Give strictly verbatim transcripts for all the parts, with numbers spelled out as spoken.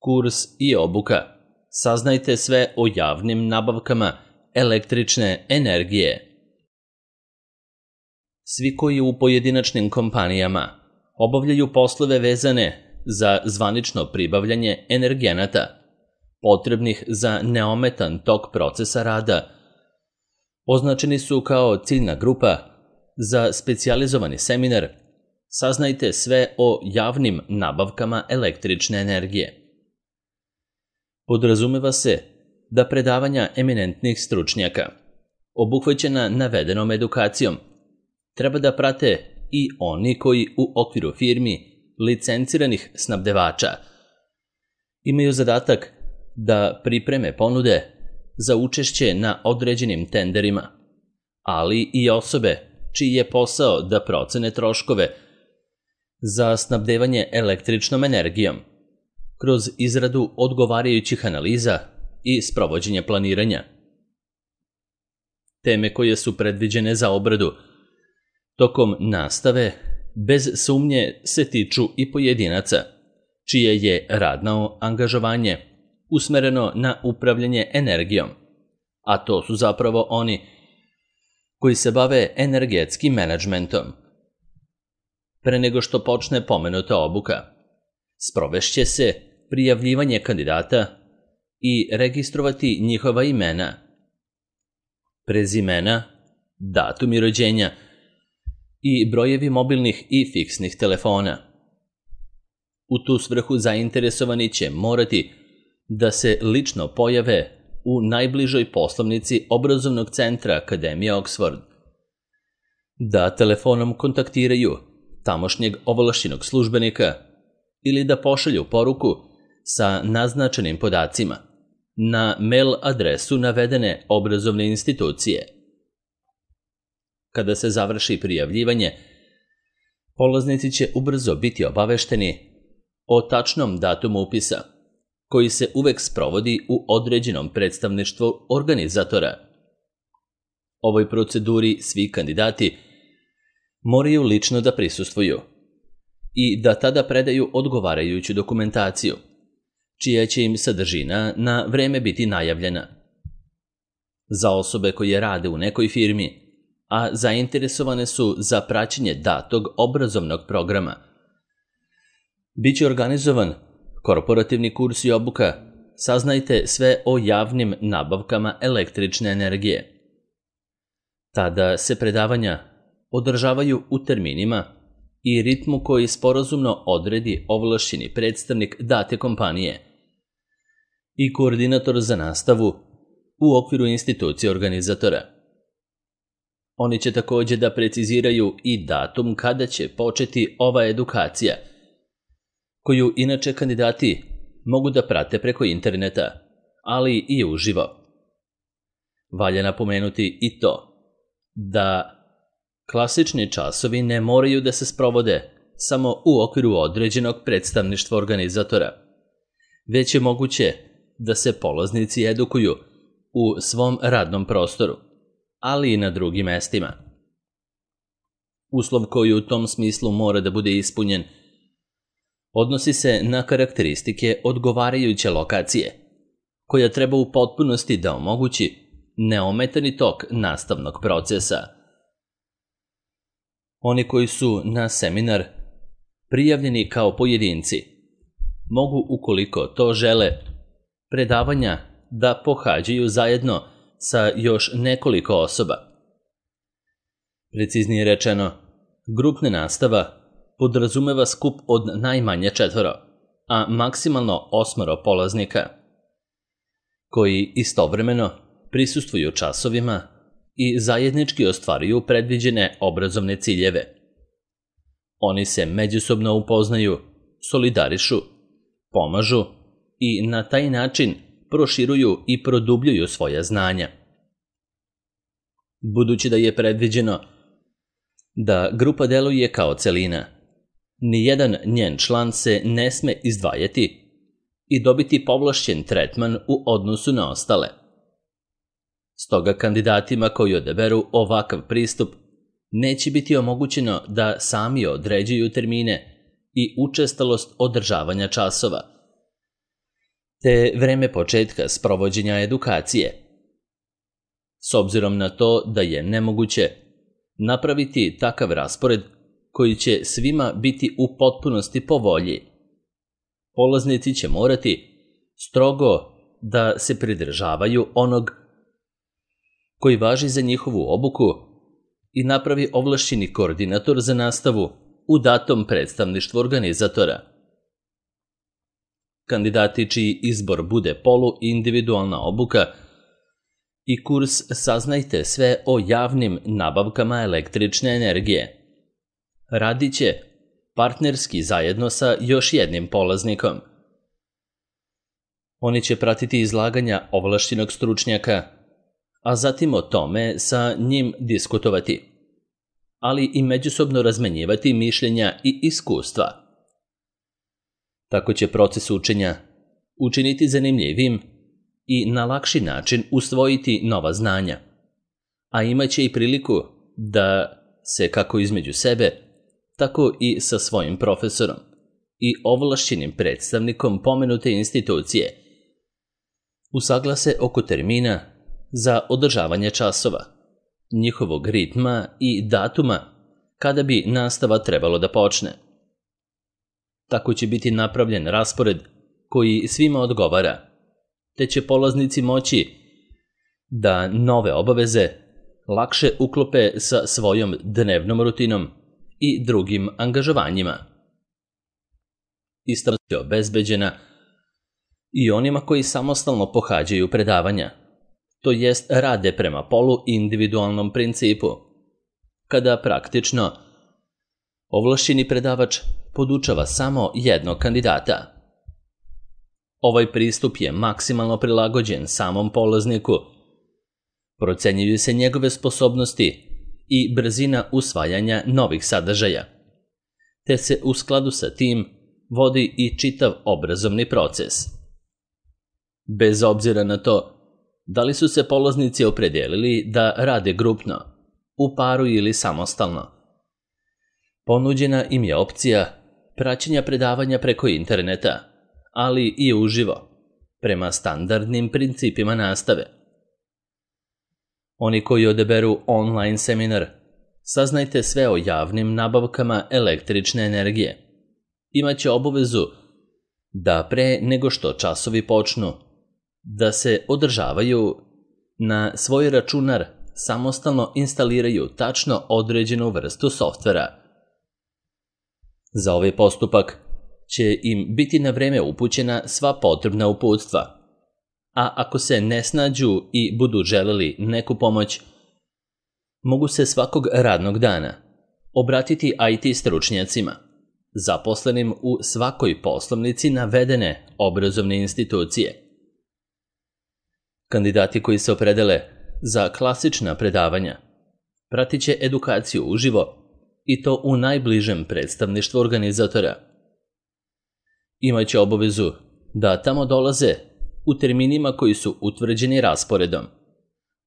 Kurs i obuka. Saznajte sve o javnim nabavkama električne energije. Svi koji u pojedinačnim kompanijama obavljaju poslove vezane za zvanično pribavljanje energenata, potrebnih za neometan tok procesa rada, označeni su kao ciljna grupa za specijalizovani seminar Saznajte sve o javnim nabavkama električne energije. Podrazumeva se da predavanja eminentnih stručnjaka, obuhvaćena navedenom edukacijom, treba da prate i oni koji u okviru firmi licenciranih snabdevača imaju zadatak da pripreme ponude za učešće na određenim tenderima, ali i osobe čiji je posao da procene troškove za snabdevanje električnom energijom kroz izradu odgovarajućih analiza i sprovođenje planiranja. Teme koje su predviđene za obradu tokom nastave bez sumnje se tiču i pojedinaca, čije je radno angažovanje usmereno na upravljanje energijom, a to su zapravo oni koji se bave energetskim menadžmentom. Pre nego što počne pomenuta obuka, sprovešće se prijavljivanje kandidata i registrovati njihova imena, prezimena, datumi rođenja i brojevi mobilnih i fiksnih telefona. U tu svrhu zainteresovani će morati da se lično pojave u najbližoj poslovnici obrazovnog centra Akademije Oxford, da telefonom kontaktiraju tamošnjeg ovlašćenog službenika ili da pošalju poruku sa naznačenim podacima na mail adresu navedene obrazovne institucije. Kada se završi prijavljivanje, polaznici će ubrzo biti obavešteni o tačnom datumu upisa, koji se uvek sprovodi u određenom predstavništvu organizatora. Ovoj proceduri svi kandidati moraju lično da prisustvuju i da tada predaju odgovarajuću dokumentaciju, čija će im sadržina na vreme biti najavljena. Za osobe koje rade u nekoj firmi, a zainteresovane su za praćenje datog obrazovnog programa, biće organizovan korporativni kurs i obuka Saznajte sve o javnim nabavkama električne energije. Tada se predavanja održavaju u terminima i ritmu koji sporazumno odredi ovlašćeni predstavnik date kompanije i koordinator za nastavu u okviru institucije organizatora. Oni će takođe da preciziraju i datum kada će početi ova edukacija, koju inače kandidati mogu da prate preko interneta, ali i uživo. Valja napomenuti i to da klasični časovi ne moraju da se sprovode samo u okviru određenog predstavništva organizatora, već je moguće da se polaznici edukuju u svom radnom prostoru, ali i na drugim mestima. Uslov koji u tom smislu mora da bude ispunjen odnosi se na karakteristike odgovarajuće lokacije, koja treba u potpunosti da omogući neometani tok nastavnog procesa. Oni koji su na seminar prijavljeni kao pojedinci mogu, ukoliko to žele, predavanja da pohađaju zajedno sa još nekoliko osoba. Preciznije rečeno, grupna nastava podrazumeva skup od najmanje četvoro, a maksimalno osmoro polaznika, koji istovremeno prisustvuju časovima i zajednički ostvaruju predviđene obrazovne ciljeve. Oni se međusobno upoznaju, solidarišu, pomažu i na taj način proširuju i produbljuju svoja znanja. Budući da je predviđeno da grupa deluje kao celina, nijedan njen član se ne sme izdvajati i dobiti povlašćen tretman u odnosu na ostale. Stoga kandidatima koji odaberu ovakav pristup neće biti omogućeno da sami određuju termine i učestalost održavanja časova, te vreme početka sprovođenja edukacije. S obzirom na to da je nemoguće napraviti takav raspored koji će svima biti u potpunosti po volji, polaznici će morati strogo da se pridržavaju onog koji važi za njihovu obuku i napravi ovlašćeni koordinator za nastavu u datom predstavništvu organizatora. Kandidati čiji izbor bude polu-individualna obuka i kurs Saznajte sve o javnim nabavkama električne energije radit će partnerski zajedno sa još jednim polaznikom. Oni će pratiti izlaganja ovlašćenog stručnjaka, a zatim o tome sa njim diskutovati, ali i međusobno razmenjivati mišljenja i iskustva. Tako će proces učenja učiniti zanimljivim i na lakši način usvojiti nova znanja, a imaće i priliku da se kako između sebe, tako i sa svojim profesorom i ovlašćenim predstavnikom pomenute institucije usaglase oko termina za održavanje časova, njihovog ritma i datuma kada bi nastava trebalo da počne. Tako će biti napravljen raspored koji svima odgovara, te će polaznici moći da nove obaveze lakše uklope sa svojom dnevnom rutinom i drugim angažovanjima. Ista je obezbeđena i onima koji samostalno pohađaju predavanja, to jest rade prema polu-individualnom principu, kada praktično ovlašćeni predavač podučava samo jednog kandidata. Ovaj pristup je maksimalno prilagođen samom polazniku, procenjuju se njegove sposobnosti i brzina usvajanja novih sadržaja, te se u skladu sa tim vodi i čitav obrazovni proces. Bez obzira na to da li su se polaznici opredijelili da rade grupno, u paru ili samostalno, ponuđena im je opcija praćenja predavanja preko interneta, ali i uživo, prema standardnim principima nastave. Oni koji odaberu online seminar Saznajte sve o javnim nabavkama električne energije imaće obavezu da pre nego što časovi počnu, da se održavaju na svoj računar samostalno instaliraju tačno određenu vrstu softvera. Za ovaj postupak će im biti na vreme upućena sva potrebna uputstva, a ako se ne snađu i budu želeli neku pomoć, mogu se svakog radnog dana obratiti I T stručnjacima, zaposlenim u svakoj poslovnici navedene obrazovne institucije. Kandidati koji se opredele za klasična predavanja pratit će edukaciju uživo i to u najbližem predstavništvu organizatora. Imaće obavezu da tamo dolaze u terminima koji su utvrđeni rasporedom,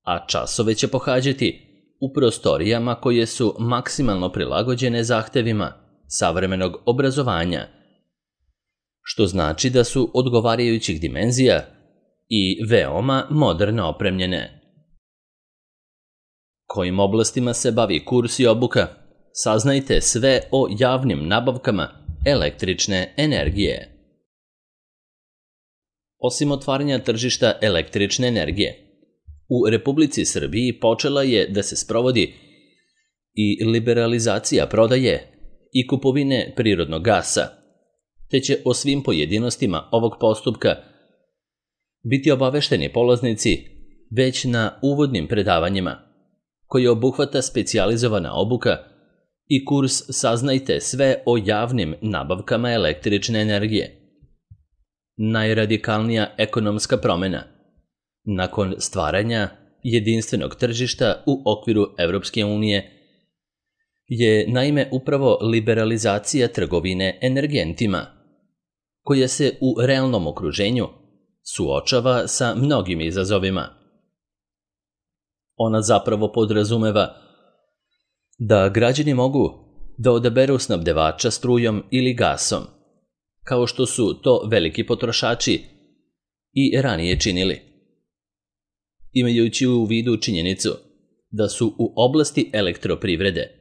a časove će pohađati u prostorijama koje su maksimalno prilagođene zahtevima savremenog obrazovanja, što znači da su odgovarajućih dimenzija i veoma moderno opremljene. Kojim oblastima se bavi kurs i obuka? Saznajte sve o javnim nabavkama električne energije. Osim otvaranja tržišta električne energije, u Republici Srbiji počela je da se sprovodi i liberalizacija prodaje i kupovine prirodnog gasa, te će o svim pojedinostima ovog postupka biti obavešteni polaznici već na uvodnim predavanjima, koji obuhvata specijalizovana obuka i kurs Saznajte sve o javnim nabavkama električne energije. Najradikalnija ekonomska promena nakon stvaranja jedinstvenog tržišta u okviru Evropske unije je naime upravo liberalizacija trgovine energentima, koja se u realnom okruženju suočava sa mnogim izazovima. Ona zapravo podrazumeva da građani mogu da odaberu snabdevača strujom ili gasom, kao što su to veliki potrošači i ranije činili. Imajući u vidu činjenicu da su u oblasti elektroprivrede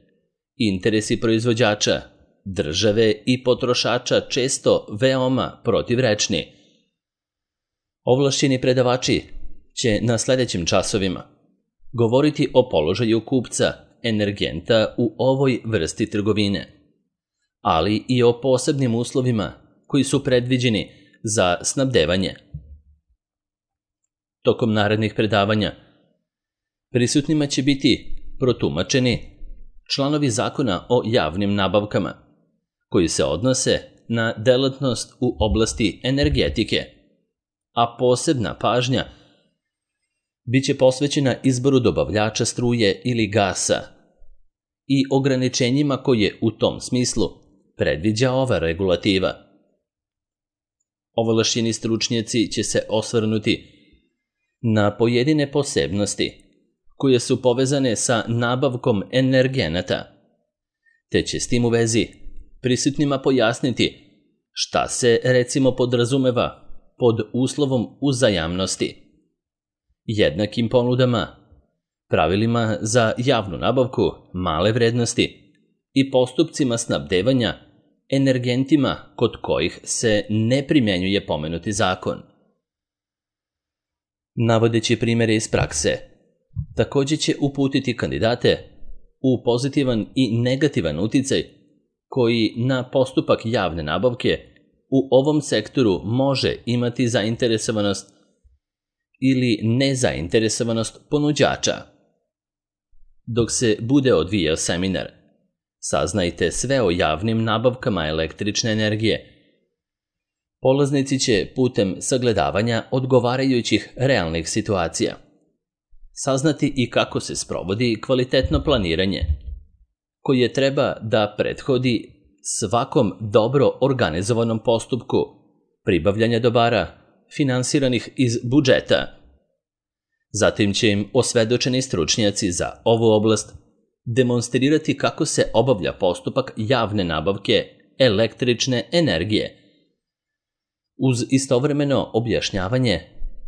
interesi proizvođača, države i potrošača često veoma protivrečni, ovlašćeni predavači će na sljedećim časovima govoriti o položaju kupca energenta u ovoj vrsti trgovine, ali i o posebnim uslovima koji su predviđeni za snabdevanje. Tokom narednih predavanja prisutnima će biti protumačeni članovi zakona o javnim nabavkama, koji se odnose na delatnost u oblasti energetike, a posebna pažnja biće posvećena izboru dobavljača struje ili gasa i ograničenjima koje u tom smislu predviđa ova regulativa. Ovlašćeni stručnjaci će se osvrnuti na pojedine posebnosti koje su povezane sa nabavkom energenata, te će s tim u vezi prisutnima pojasniti šta se recimo podrazumeva pod uslovom uzajamnosti, jednakim ponudama, pravilima za javnu nabavku male vrednosti i postupcima snabdevanja energentima kod kojih se ne primjenjuje pomenuti zakon. Navodeći primjere iz prakse, također će uputiti kandidate u pozitivan i negativan uticaj koji na postupak javne nabavke u ovom sektoru može imati zainteresovanost ili nezainteresovanost ponuđača. Dok se bude odvijao seminar, saznajte sve o javnim nabavkama električne energije. Polaznici će putem sagledavanja odgovarajućih realnih situacija saznati i kako se sprovodi kvalitetno planiranje, koje treba da prethodi svakom dobro organizovanom postupku pribavljanja dobara finansiranih iz budžeta. Zatim će im osvedočeni stručnjaci za ovu oblast demonstrirati kako se obavlja postupak javne nabavke električne energije, uz istovremeno objašnjavanje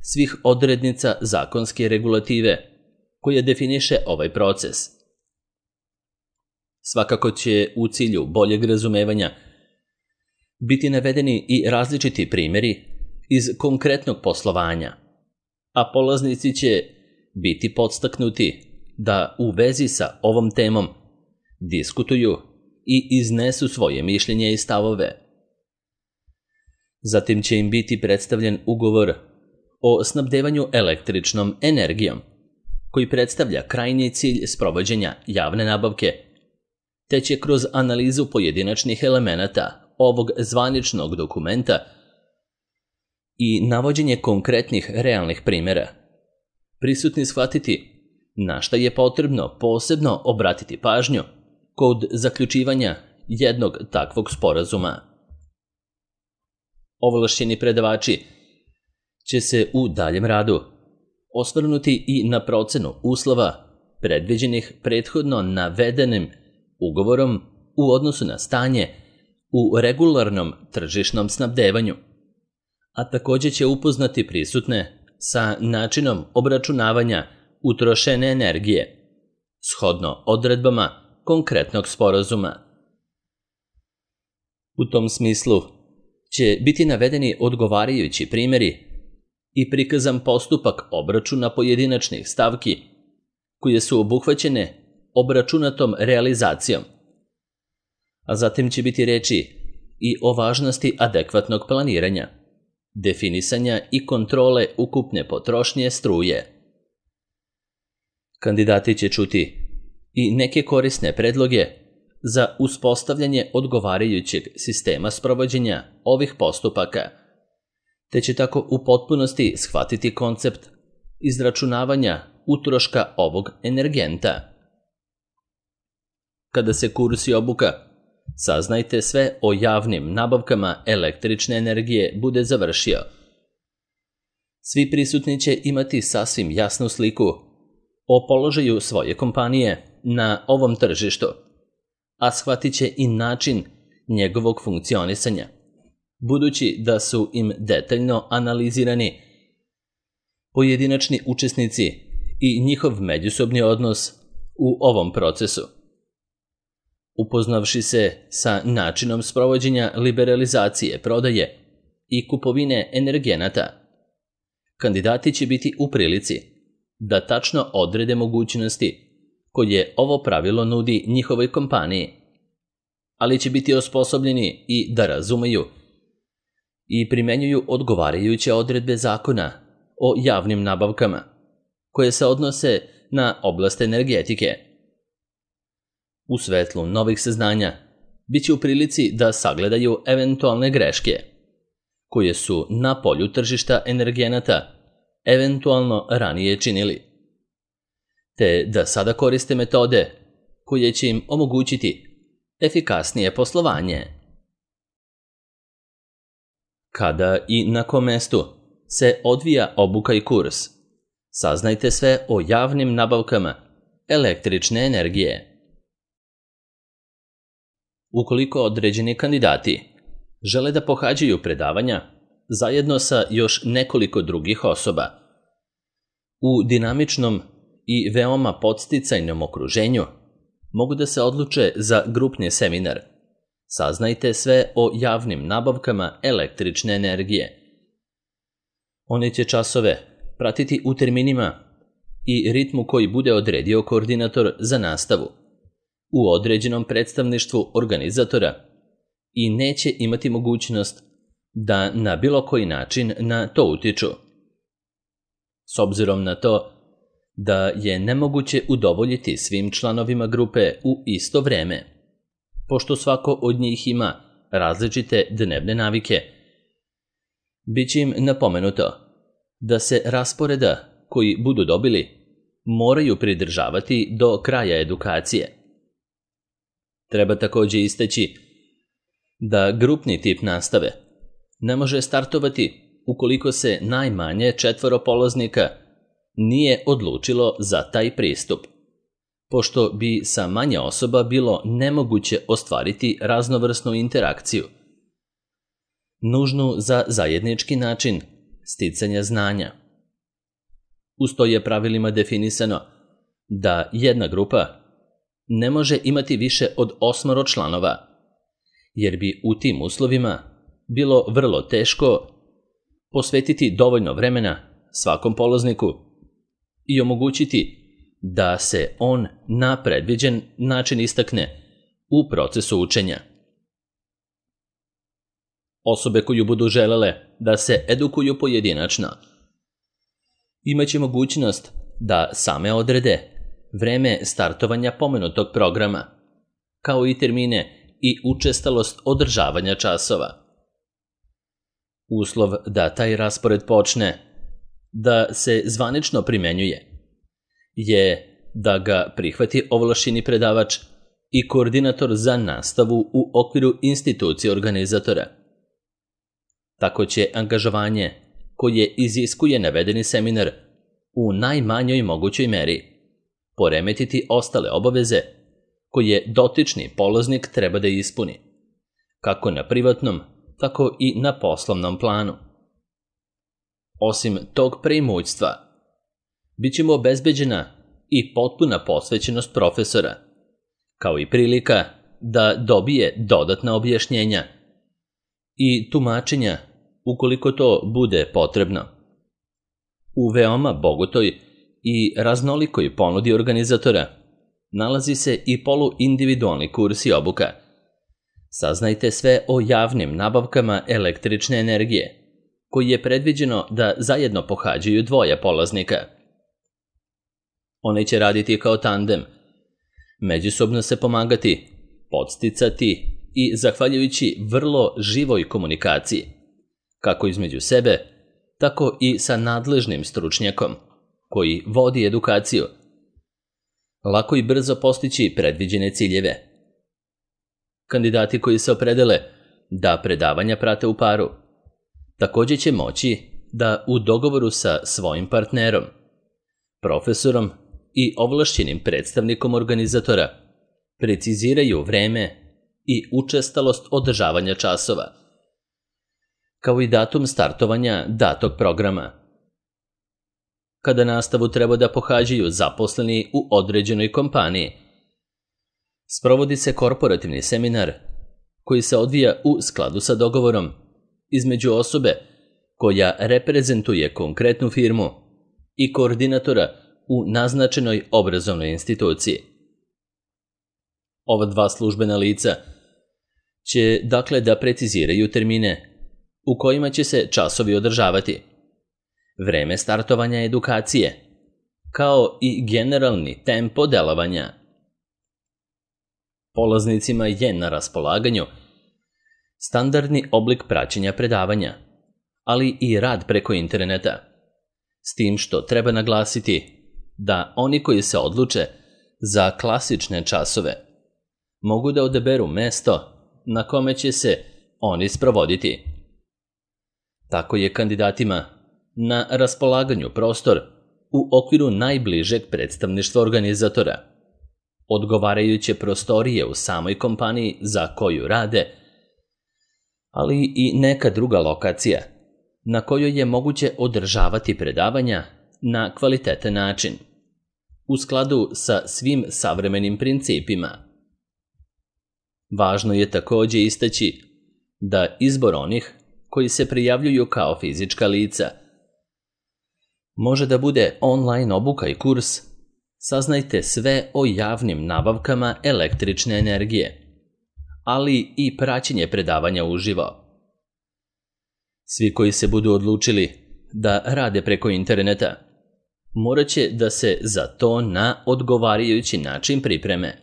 svih odrednica zakonske regulative koje definiše ovaj proces. Svakako će u cilju boljeg razumevanja biti navedeni i različiti primjeri iz konkretnog poslovanja, a polaznici će biti podstaknuti da u vezi sa ovom temom diskutuju i iznesu svoje mišljenje i stavove. Zatim će im biti predstavljen ugovor o snabdevanju električnom energijom, koji predstavlja krajnji cilj sprovođenja javne nabavke, te će kroz analizu pojedinačnih elemenata ovog zvaničnog dokumenta i navođenje konkretnih realnih primjera prisutni shvatiti na šta je potrebno posebno obratiti pažnju kod zaključivanja jednog takvog sporazuma. Ovlašćeni predavači će se u daljem radu osvrnuti i na procenu uslova predviđenih prethodno navedenim ugovorom u odnosu na stanje u regularnom tržišnom snabdevanju, a također će upoznati prisutne sa načinom obračunavanja utrošene energije, shodno odredbama konkretnog sporazuma. U tom smislu će biti navedeni odgovarajući primjeri i prikazan postupak obračuna pojedinačnih stavki koje su obuhvaćene obračunatom realizacijom, a zatim će biti reči i o važnosti adekvatnog planiranja, definisanja i kontrole ukupne potrošnje struje. Kandidati će čuti i neke korisne predloge za uspostavljanje odgovarajućeg sistema sprovođenja ovih postupaka, te će tako u potpunosti shvatiti koncept izračunavanja utroška ovog energenta. Kada se kurs i obuka saznajte sve o javnim nabavkama električne energije bude završio, svi prisutni će imati sasvim jasnu sliku o položaju svoje kompanije na ovom tržištu, a shvatit će i način njegovog funkcionisanja, budući da su im detaljno analizirani pojedinačni učesnici i njihov međusobni odnos u ovom procesu. Upoznavši se sa načinom sprovođenja liberalizacije, prodaje i kupovine energenata, kandidati će biti u prilici da tačno odrede mogućnosti koje ovo pravilo nudi njihovoj kompaniji, ali će biti osposobljeni i da razumeju i primenjuju odgovarajuće odredbe zakona o javnim nabavkama koje se odnose na oblast energetike. U svetlu novih saznanja bit će u prilici da sagledaju eventualne greške koje su na polju tržišta energenata eventualno ranije činili, te da sada koriste metode koje će im omogućiti efikasnije poslovanje. Kada i na kom mestu se odvija obuka i kurs, saznajte sve o javnim nabavkama električne energije. Ukoliko određeni kandidati žele da pohađaju predavanja zajedno sa još nekoliko drugih osoba, u dinamičnom i veoma podsticajnom okruženju mogu da se odluče za grupni seminar. Saznajte sve o javnim nabavkama električne energije. Oni će časove pratiti u terminima i ritmu koji bude odredio koordinator za nastavu u određenom predstavništvu organizatora i neće imati mogućnost da na bilo koji način na to utiču. S obzirom na to da je nemoguće udovoljiti svim članovima grupe u isto vreme, pošto svako od njih ima različite dnevne navike, bit će im napomenuto da se rasporeda koji budu dobili moraju pridržavati do kraja edukacije. Treba također istaći da grupni tip nastave ne može startovati ukoliko se najmanje četvoro polaznika nije odlučilo za taj pristup, pošto bi sa manje osoba bilo nemoguće ostvariti raznovrsnu interakciju, nužnu za zajednički način sticanja znanja. Uz to je pravilima definisano da jedna grupa ne može imati više od osmoro članova, jer bi u tim uslovima bilo vrlo teško posvetiti dovoljno vremena svakom polazniku i omogućiti da se on na predviđen način istakne u procesu učenja. Osobe koju budu želele da se edukuju pojedinačno imaće mogućnost da same odrede vreme startovanja pomenutog programa, kao i termine i učestalost održavanja časova. Uslov da taj raspored počne da se zvanično primenjuje je da ga prihvati ovlašćeni predavač i koordinator za nastavu u okviru institucije organizatora. Tako će angažovanje koje iziskuje navedeni seminar u najmanjoj mogućoj meri poremetiti ostale obaveze koje dotični polaznik treba da ispuni, kako na privatnom, tako i na poslovnom planu. Osim tog preimućstva, bit će mu obezbeđena i potpuna posvećenost profesora, kao i prilika da dobije dodatna objašnjenja i tumačenja ukoliko to bude potrebno. U veoma bogatoj i raznolikoj ponudi organizatora nalazi se i poluindividualni kurs i obuka. Saznajte sve o javnim nabavkama električne energije, koji je predviđeno da zajedno pohađaju dvoje polaznika. Oni će raditi kao tandem, međusobno se pomagati, podsticati i zahvaljujući vrlo živoj komunikaciji, kako između sebe, tako i sa nadležnim stručnjakom koji vodi edukaciju, lako i brzo postići predviđene ciljeve. Kandidati koji se opredele da predavanja prate u paru, također će moći da u dogovoru sa svojim partnerom, profesorom i ovlašćenim predstavnikom organizatora preciziraju vreme i učestalost održavanja časova, kao i datum startovanja datog programa. kada nastavu treba da pohađaju zaposleni u određenoj kompaniji. Sprovodi se korporativni seminar koji se odvija u skladu sa dogovorom između osobe koja reprezentuje konkretnu firmu i koordinatora u naznačenoj obrazovnoj instituciji. Ova dva službena lica će dakle da preciziraju termine u kojima će se časovi održavati, vreme startovanja edukacije, kao i generalni tempo delovanja. Polaznicima je na raspolaganju standardni oblik praćenja predavanja, ali i rad preko interneta, s tim što treba naglasiti da oni koji se odluče za klasične časove mogu da odaberu mesto na kome će se oni sprovoditi. Tako je kandidatima na raspolaganju prostor u okviru najbližeg predstavništva organizatora, odgovarajuće prostorije u samoj kompaniji za koju rade, ali i neka druga lokacija na kojoj je moguće održavati predavanja na kvalitetan način, u skladu sa svim savremenim principima. Važno je također istaći da izbor onih koji se prijavljuju kao fizička lica može da bude online obuka i kurs Saznajte sve o javnim nabavkama električne energije, ali i praćenje predavanja uživo. Svi koji se budu odlučili da rade preko interneta morat će da se za to na odgovarajući način pripreme.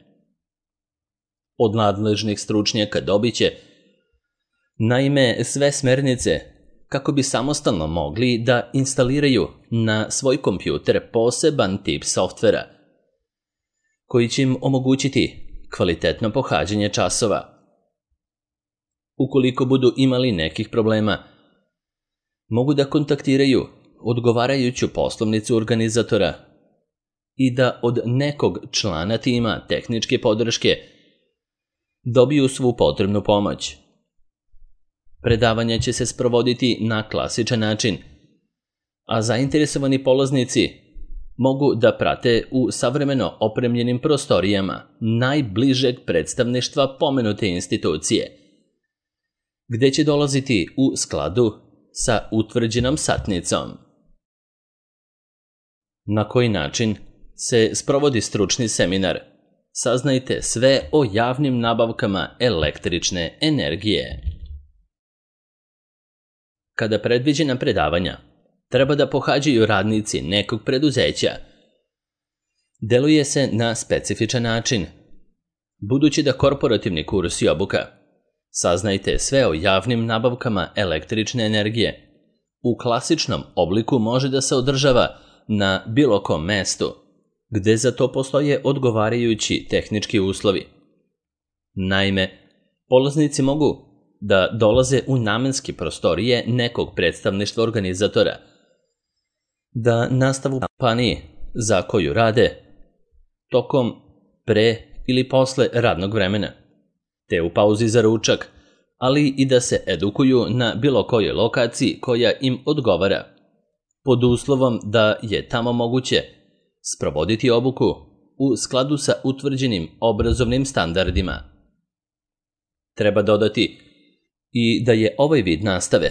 Od nadležnih stručnjaka dobit će naime sve smernice kako bi samostalno mogli da instaliraju na svoj kompjuter poseban tip softvera koji će im omogućiti kvalitetno pohađanje časova. Ukoliko budu imali nekih problema, mogu da kontaktiraju odgovarajuću poslovnicu organizatora i da od nekog člana tima tehničke podrške dobiju svu potrebnu pomoć. Predavanja će se sprovoditi na klasičan način, a zainteresovani polaznici mogu da prate u savremeno opremljenim prostorijama najbližeg predstavništva pomenute institucije, gde će dolaziti u skladu sa utvrđenom satnicom. Na koji način se sprovodi stručni seminar? Saznajte sve o javnim nabavkama električne energije. Kada predviđena predavanja treba da pohađaju radnici nekog preduzeća, deluje se na specifičan način. Budući da korporativni kurs i obuka Saznajte sve o javnim nabavkama električne energije u klasičnom obliku može da se održava na bilo kom mestu, gde za to postoje odgovarajući tehnički uslovi. Naime, polaznici mogu da dolaze u namenske prostorije nekog predstavništva organizatora, da nastavu kompaniji za koju rade tokom, pre ili posle radnog vremena, te u pauzi za ručak, ali i da se edukuju na bilo kojoj lokaciji koja im odgovara, pod uslovom da je tamo moguće sprovoditi obuku u skladu sa utvrđenim obrazovnim standardima. Treba dodati i da je ovaj vid nastave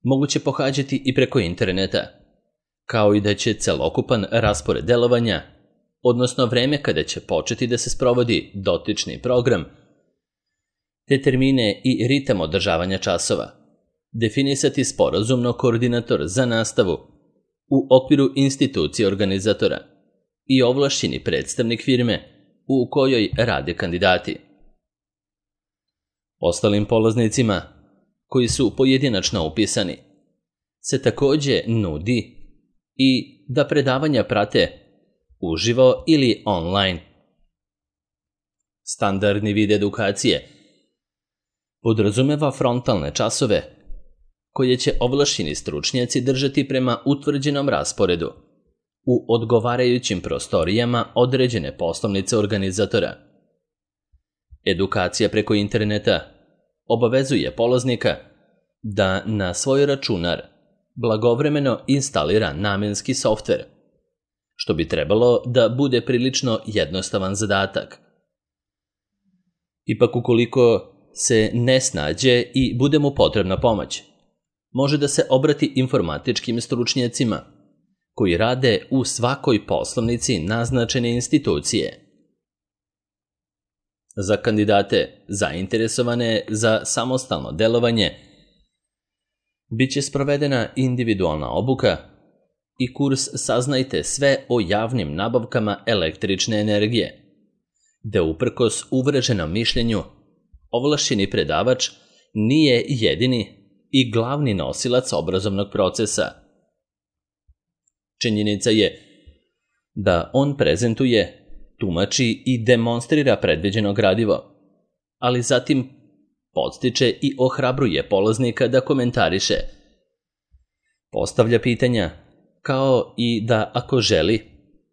moguće pohađati i preko interneta, kao i da će celokupan raspored delovanja, odnosno vreme kada će početi da se sprovodi dotični program, te termine i ritam održavanja časova, definisati sporazumno koordinator za nastavu u okviru institucije organizatora i ovlašćeni predstavnik firme u kojoj rade kandidati. Ostalim polaznicima, koji su pojedinačno upisani, se također nudi i da predavanja prate uživo ili online. Standardni vid edukacije podrazumeva frontalne časove koje će ovlašćeni stručnjaci držati prema utvrđenom rasporedu u odgovarajućim prostorijama određene poslovnice organizatora. Edukacija preko interneta obavezuje polaznika da na svoj računar blagovremeno instalira namenski softver, što bi trebalo da bude prilično jednostavan zadatak. Ipak ukoliko se ne snađe i bude mu potrebna pomoć, može da se obrati informatičkim stručnjacima koji rade u svakoj poslovnici naznačene institucije. Za kandidate zainteresovane za samostalno delovanje biće sprovedena individualna obuka i kurs Saznajte sve o javnim nabavkama električne energije, da uprkos uvreženom mišljenju ovlašćeni predavač nije jedini i glavni nosilac obrazovnog procesa. Činjenica je da on prezentuje, tumači i demonstrira predviđeno gradivo, ali zatim podstiče i ohrabruje polaznika da komentariše, postavlja pitanja, kao i da, ako želi,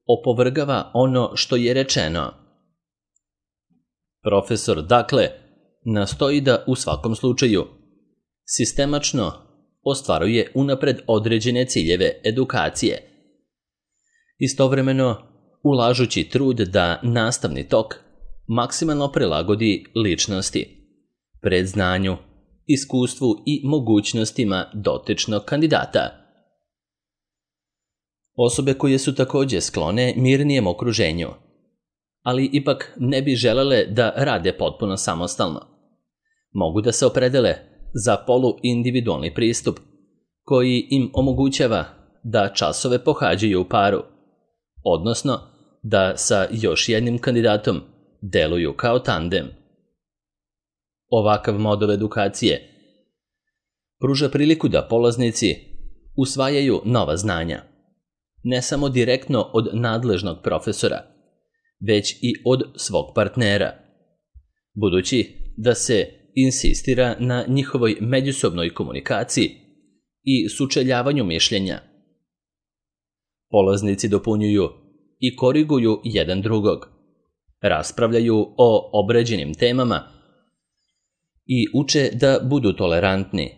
opovrgava ono što je rečeno. Profesor, dakle, nastoji da u svakom slučaju sistemačno ostvaruje unapred određene ciljeve edukacije, istovremeno ulažući trud da nastavni tok maksimalno prilagodi ličnosti, predznanju, iskustvu i mogućnostima dotičnog kandidata. Osobe koje su također sklone mirnijem okruženju, ali ipak ne bi želele da rade potpuno samostalno, mogu da se opredele za poluindividualni pristup koji im omogućava da časove pohađaju u paru, odnosno da sa još jednim kandidatom deluju kao tandem. Ovakav model edukacije pruža priliku da polaznici usvajaju nova znanja, ne samo direktno od nadležnog profesora, već i od svog partnera, budući da se insistira na njihovoj međusobnoj komunikaciji i sučeljavanju mišljenja. Polaznici dopunjuju i koriguju jedan drugog, raspravljaju o obrađenim temama i uče da budu tolerantni,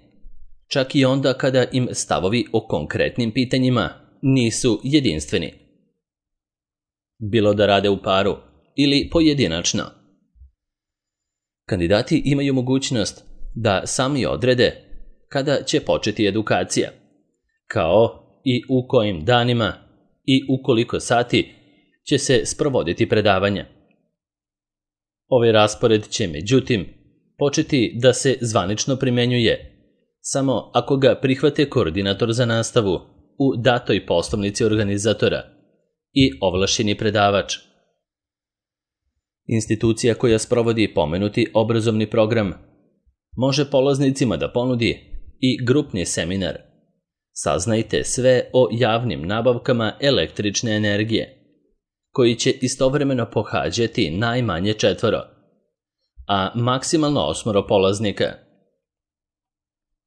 čak i onda kada im stavovi o konkretnim pitanjima nisu jedinstveni. Bilo da rade u paru ili pojedinačno. Kandidati imaju mogućnost da sami odrede kada će početi edukacija, kao i u kojim danima i u koliko sati će se sprovoditi predavanja. Ovaj raspored će, međutim, početi da se zvanično primenjuje samo ako ga prihvate koordinator za nastavu u datoj poslovnici organizatora i ovlašćeni predavač. Institucija koja sprovodi pomenuti obrazovni program može polaznicima da ponudi i grupni seminar Saznajte sve o javnim nabavkama električne energije, koji će istovremeno pohađati najmanje četvoro, a maksimalno osmoro polaznika.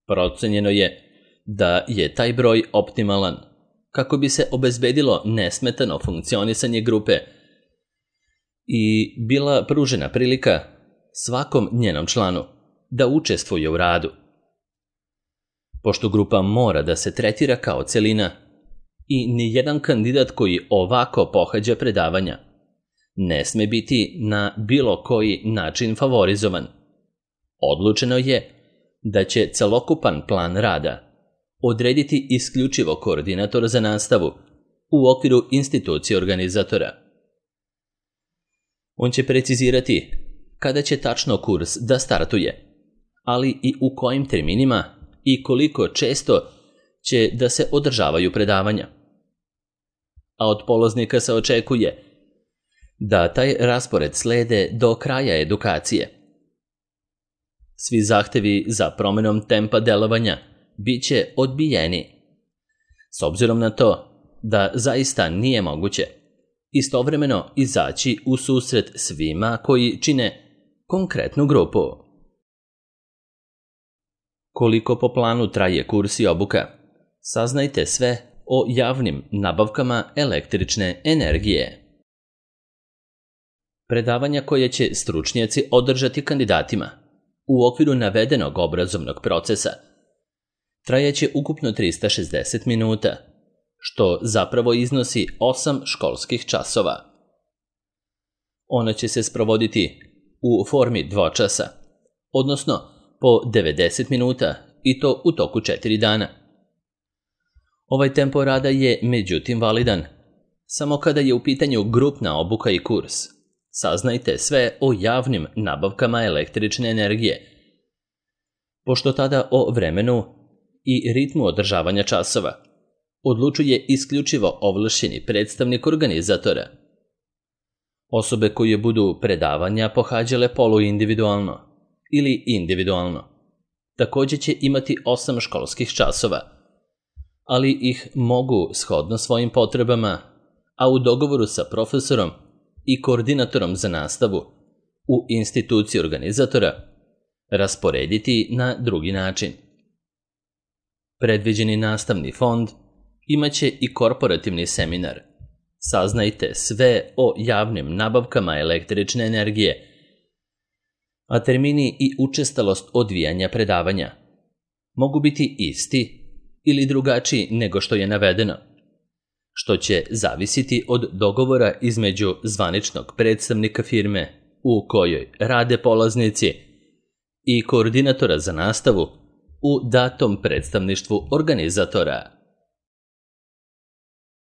Procenjeno je da je taj broj optimalan kako bi se obezbedilo nesmetano funkcionisanje grupe i bila pružena prilika svakom njenom članu da učestvuje u radu. Pošto grupa mora da se tretira kao celina i nijedan kandidat koji ovako pohađa predavanja ne sme biti na bilo koji način favorizovan, odlučeno je da će celokupan plan rada odrediti isključivo koordinator za nastavu u okviru institucije organizatora. On će precizirati kada će tačno kurs da startuje, ali i u kojim terminima i koliko često će da se održavaju predavanja. A od polaznika se očekuje da taj raspored slede do kraja edukacije. Svi zahtevi za promenom tempa delovanja bit će odbijeni, s obzirom na to da zaista nije moguće istovremeno izaći u susret svima koji čine konkretnu grupu. Koliko po planu traje kurs i obuka? Saznajte sve o javnim nabavkama električne energije. Predavanja koje će stručnjaci održati kandidatima u okviru navedenog obrazovnog procesa trajaće ukupno trista šezdeset minuta, što zapravo iznosi osam školskih časova. Ona će se sprovoditi u formi dvočasa, odnosno po devedeset minuta i to u toku četiri dana. Ovaj tempo rada je međutim validan samo kada je u pitanju grupna obuka i kurs. Saznajte sve o javnim nabavkama električne energije, pošto tada o vremenu i ritmu održavanja časova odlučuje isključivo ovlašćeni predstavnik organizatora. Osobe koje budu predavanja pohađale poluindividualno ili individualno također će imati osam školskih časova, ali ih mogu shodno svojim potrebama, a u dogovoru sa profesorom i koordinatorom za nastavu u instituciji organizatora, rasporediti na drugi način. Predviđeni nastavni fond imaće i korporativni seminar. Saznajte sve o javnim nabavkama električne energije, a termini i učestalost odvijanja predavanja mogu biti isti ili drugačiji nego što je navedeno, što će zavisiti od dogovora između zvaničnog predstavnika firme u kojoj rade polaznici i koordinatora za nastavu u datom predstavništvu organizatora.